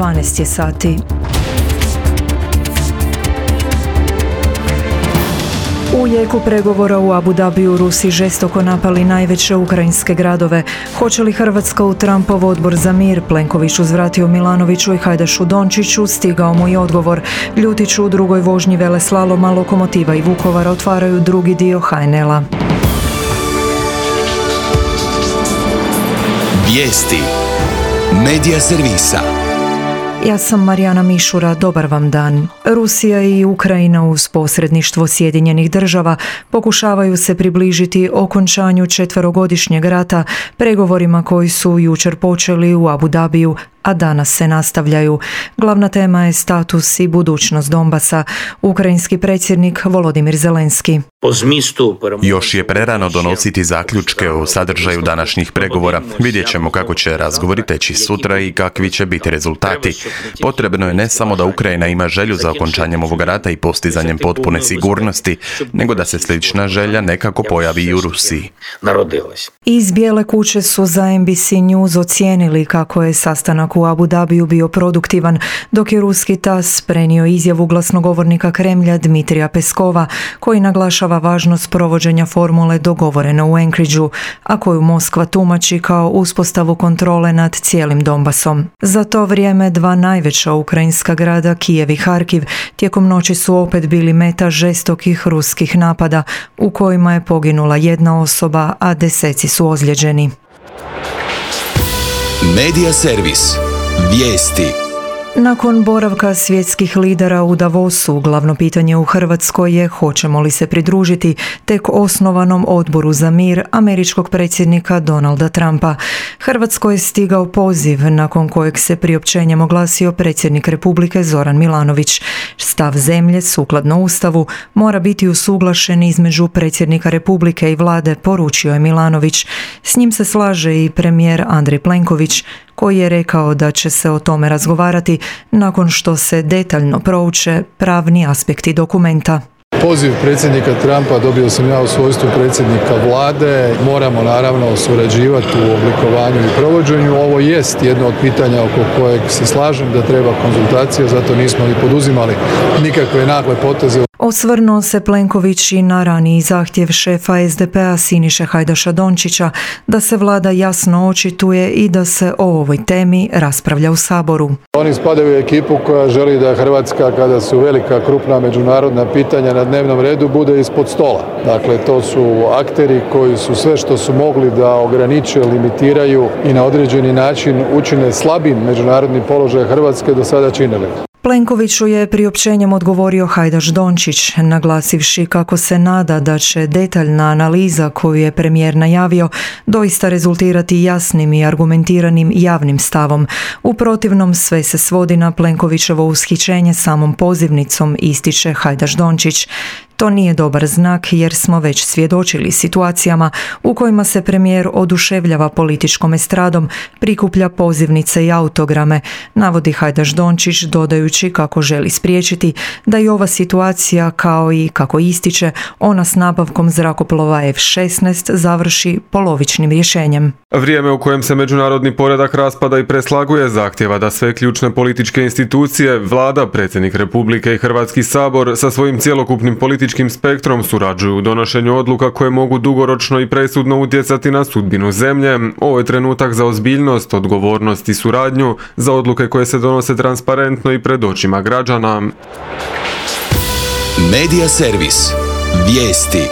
12 je sati. U jeku pregovora u Abu Dhabiju Rusi žestoko napali najveće ukrajinske gradove. Hoće li Hrvatska u Trumpov odbor za mir? Plenković uzvratio Milanoviću i Hajdašu Dončiću, stigao mu i odgovor. Ljutiću u drugoj vožnji veleslaloma Lokomotiva i Vukovar otvaraju drugi dio HNL-a. Vijesti Medija servisa. Ja sam Marijana Mišura, dobar vam dan. Rusija i Ukrajina uz posredništvo Sjedinjenih država pokušavaju se približiti okončanju 4-godišnjeg rata, pregovorima koji su jučer počeli u Abu Dhabiju, a danas se nastavljaju. Glavna tema je status i budućnost Donbasa. Ukrajinski predsjednik Volodimir Zelenski. Još je prerano donositi zaključke o sadržaju današnjih pregovora. Vidjet ćemo kako će razgovori teći sutra i kakvi će biti rezultati. Potrebno je ne samo da Ukrajina ima želju za okončanjem ovog rata i postizanjem potpune sigurnosti, nego da se slična želja nekako pojavi i u Rusiji. Iz Bijele kuće su za NBC News ocijenili kako je sastanak u Abu Dhabiju bio produktivan, dok je ruski TASS prenio izjavu glasnogovornika Kremlja Dmitrija Peskova, koji naglašava važnost provođenja formule dogovorene u Anchorageu, a koju Moskva tumači kao uspostavu kontrole nad cijelim Donbasom. Za to vrijeme dva najveća ukrajinska grada, Kijev i Harkiv, tijekom noći su opet bili meta žestokih ruskih napada, u kojima je poginula jedna osoba, a deseci su ozlijeđeni. Medija servis. Vijesti. Nakon boravka svjetskih lidera u Davosu, glavno pitanje u Hrvatskoj je hoćemo li se pridružiti tek osnovanom odboru za mir američkog predsjednika Donalda Trumpa. Hrvatskoj je stigao poziv nakon kojeg se priopćenjem oglasio predsjednik Republike Zoran Milanović. Stav zemlje, sukladno Ustavu, mora biti usuglašen između predsjednika Republike i vlade, poručio je Milanović. S njim se slaže i premijer Andrej Plenković, koji je rekao da će se o tome razgovarati nakon što se detaljno prouče pravni aspekti dokumenta. Poziv predsjednika Trumpa dobio sam ja u svojstvu predsjednika vlade. Moramo naravno surađivati u oblikovanju i provođenju. Ovo jest jedno od pitanja oko kojeg se slažem da treba konzultacija, zato nismo ni poduzimali nikakve nagle poteze. Osvrnuo se Plenković i na raniji zahtjev šefa SDP-a Siniše Hajdaša Dončića da se vlada jasno očituje i da se o ovoj temi raspravlja u Saboru. Oni spadaju u ekipu koja želi da Hrvatska, kada su velika, krupna međunarodna pitanja na dnevnom redu, bude ispod stola. Dakle, to su akteri koji su sve što su mogli da ograniče, limitiraju i na određeni način učine slabim međunarodni položaj Hrvatske do sada činili. Plenkoviću je priopćenjem odgovorio Hajdaš Dončić, naglasivši kako se nada da će detaljna analiza koju je premijer najavio doista rezultirati jasnim i argumentiranim javnim stavom. U protivnom sve se svodi na Plenkovićevo ushićenje samom pozivnicom, ističe Hajdaš Dončić. To nije dobar znak jer smo već svjedočili situacijama u kojima se premijer oduševljava političkom estradom, prikuplja pozivnice i autograme, navodi Hajdaš Dončić, dodajući kako želi spriječiti da i ova situacija, kao i, kako ističe, ona s nabavkom zrakoplova F-16 završi polovičnim rješenjem. Vrijeme u kojem se međunarodni poredak raspada i preslaguje zahtjeva da sve ključne političke institucije, vlada, predsjednik Republike i Hrvatski sabor sa svojim cjelokupnim političkim spektrom surađuju u donošenju odluka koje mogu dugoročno i presudno utjecati na sudbinu zemlje. Ovo je trenutak za ozbiljnost, odgovornost i suradnju, za odluke koje se donose transparentno i pred očima građana. Medija servis. Vijesti.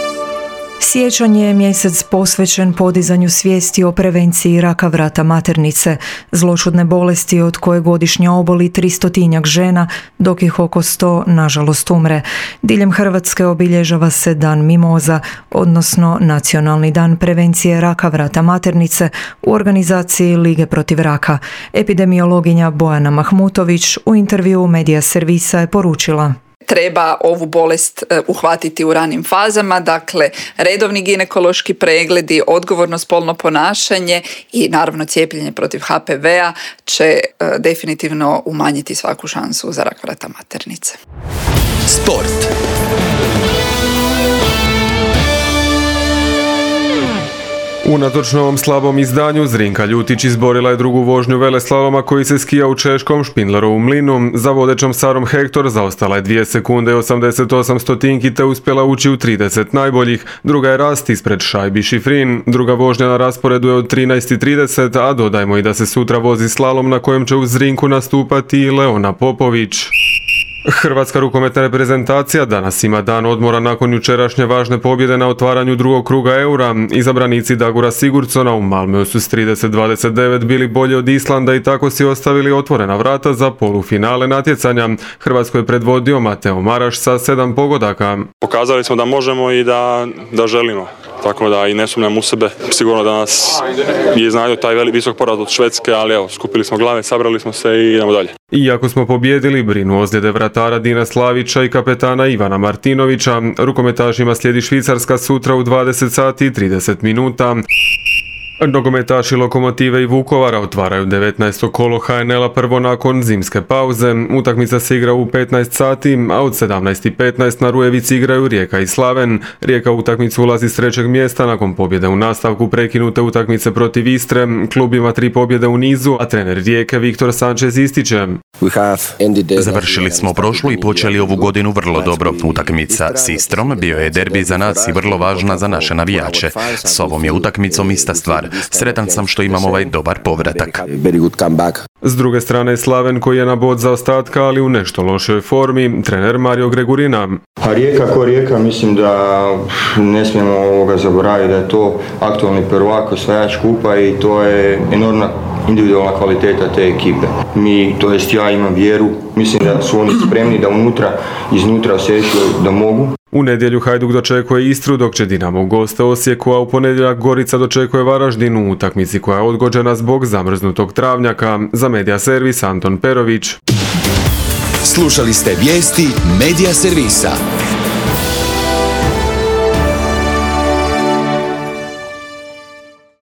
Siječanj je mjesec posvećen podizanju svijesti o prevenciji raka vrata maternice, zloćudne bolesti od koje godišnje oboli 300 žena, dok ih oko 100 nažalost umre. Diljem Hrvatske obilježava se Dan mimoza, odnosno Nacionalni dan prevencije raka vrata maternice u organizaciji Lige protiv raka. Epidemiologinja Bojana Mahmutović u intervjuu Medija servisa je poručila: treba ovu bolest uhvatiti u ranim fazama, dakle redovni ginekološki pregledi, odgovorno spolno ponašanje i naravno cijepljenje protiv HPV-a će definitivno umanjiti svaku šansu za rak vrata maternice. Sport. Unatoč novom slabom izdanju, Zrinka Ljutić izborila je drugu vožnju veleslaloma koji se skija u češkom Špindlerovom mlinu. Za vodećom Sarom Hector zaostala je 2 sekunde i 88 stotinki te uspjela ući u 30 najboljih. Druga je Rast ispred Šajbi Šifrin. Druga vožnja na rasporedu je od 13:30, a dodajmo i da se sutra vozi slalom na kojem će u Zrinku nastupati i Leona Popović. Hrvatska rukometna reprezentacija danas ima dan odmora nakon jučerašnje važne pobjede na otvaranju drugog kruga Eura. Izabranici Dagura Sigurdsona u Malmöu su s 30-29 bili bolji od Islanda i tako si ostavili otvorena vrata za polufinale natjecanja. Hrvatsko je predvodio Mateo Maraš sa 7 pogodaka. Pokazali smo da možemo i da želimo. Tako da i ne sumnjam u sebe. Sigurno da nas je iznadio taj visok poraz od Švedske, ali evo, skupili smo glave, sabrali smo se i idemo dalje. Iako smo pobjedili, brinu ozljede vratara Dina Slavića i kapetana Ivana Martinovića. Rukometašima slijedi Švicarska sutra u 20 sati i 30 minuta. Nogometaši Lokomotive i Vukovara otvaraju 19. kolo HNL-a prvo nakon zimske pauze. Utakmica se igra u 15 sati, a od 17:15 na Rujevici igraju Rijeka i Slaven. Rijeka u utakmicu ulazi s 3. mjesta nakon pobjede u nastavku prekinute utakmice protiv Istre. Klub ima 3 pobjede u nizu, a trener Rijeke Viktor Sanchez ističe: Završili smo prošlu i počeli ovu godinu vrlo dobro. Utakmica s Istrom bio je derbi za nas i vrlo važna za naše navijače. S ovom je utakmicom ista stvar. Sretan sam što imam ovaj dobar povratak. S druge strane Slaven koji je na bod zaostatka, ali u nešto lošoj formi, trener Mario Gregurina. A Rijeka ko Rijeka, mislim da ne smijemo zaboraviti da je to aktualni prvak, osvajač kupa i to je enormna individualna kvaliteta te ekipe. Ja imam vjeru, mislim da su oni spremni da iznutra osjećaju da mogu. U nedjelju Hajduk dočekuje Istru, dok će Dinamo u goste Osijeku, a u ponedjeljak Gorica dočekuje Varaždin u utakmici koja je odgođena zbog zamrznutog travnjaka. Za Medija servis Anton Perović. Slušali ste vijesti Medija servisa.